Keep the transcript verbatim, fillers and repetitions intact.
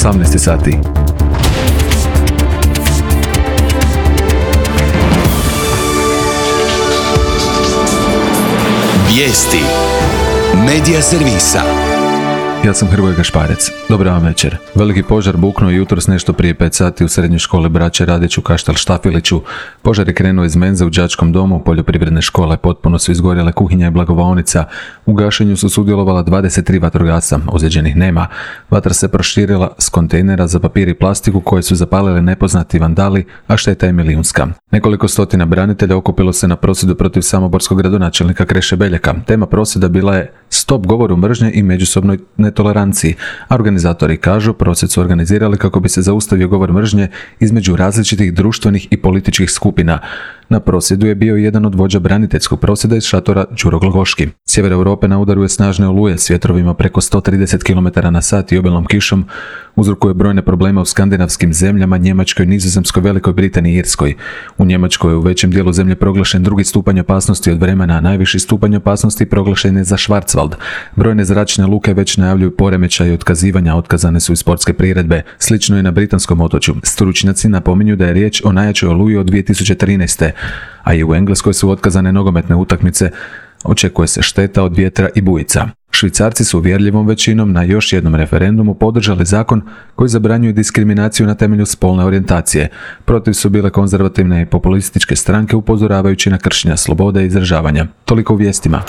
osamnaest sati. Vijesti Medija servisa. Ja sam Hrvoje Gašparec. Dobar vam večer. Veliki požar buknuo jutros nešto prije pet sati u srednjoj školi Braće Radić u Kaštel Štafiliću. Požar je krenuo iz menze u đačkom domu poljoprivredne škole. Potpuno su izgorjele kuhinja i blagovaonica. U gašenju su sudjelovala dvadeset tri vatrogasca. Ozlijeđenih nema. Vatra se proširila s kontejnera za papir i plastiku koje su zapalili nepoznati vandali, a šteta je milijunska. Nekoliko stotina branitelja okupilo se na prosvjedu protiv samoborskog gradonačelnika Kreše Beljaka. Tema prosvjeda bila je stop govoru mržnje i međusobnoj netoleranciji. A organizatori kažu, prosvjed su organizirali kako bi se zaustavio govor mržnje između različitih društvenih i političkih skupina. Na prosvjedu je bio jedan od vođa braniteljskog prosvjeda iz šatora Đuro Glogoški. Sjever Europe na udaru je snažne oluje s vjetrovima preko sto trideset kilometara na sat i obilnom kišom. Uzrokuje brojne probleme u skandinavskim zemljama, Njemačkoj, Nizozemskoj, Velikoj Britaniji i Irskoj. U Njemačkoj je u većem dijelu zemlje proglašen drugi stupanj opasnosti od vremena, a najviši stupanj opasnosti proglašen je za Schwarzwald. Brojne zračne luke već najavljuju poremećaj i otkazivanja, otkazane su i sportske priredbe. Slično je na britanskom otočju. Stručnjaci napominju da je riječ o najjačoj oluji od dvije tisuće trinaeste. A i u Engleskoj su otkazane nogometne utakmice. Očekuje se šteta od vjetra i bujica. Švicarci su uvjerljivom većinom na još jednom referendumu podržali zakon koji zabranjuje diskriminaciju na temelju spolne orijentacije. Protiv su bile konzervativne i populističke stranke upozoravajući na kršenja slobode izražavanja. Toliko u vijestima.